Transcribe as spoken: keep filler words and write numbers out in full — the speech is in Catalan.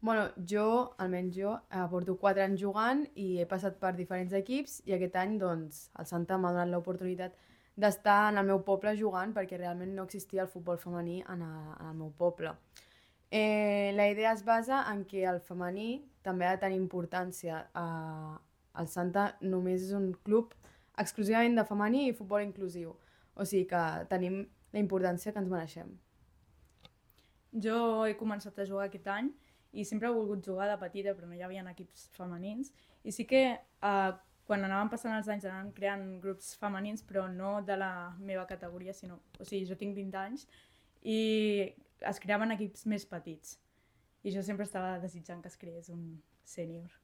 Bueno, jo, almenys jo, eh, porto quatre anys jugant i he passat per diferents equips i aquest any, doncs, el Santa m'ha donat l'oportunitat d'estar en el meu poble jugant perquè realment no existia el futbol femení en, a, en el meu poble. Eh, la idea es basa en que el femení també ha de tenir importància. Eh, el Santa només és un club exclusivament de femení i futbol inclusiu. O sigui que tenim la importància que ens mereixem. Jo he començat a jugar aquest any i sempre he volgut jugar de petita, però no hi havia equips femenins. I sí que eh, quan anaven passant els anys anaven creant grups femenins, però no de la meva categoria, sinó... O sigui, jo tinc vint anys i es creaven equips més petits. I jo sempre estava desitjant que es creés un sènior.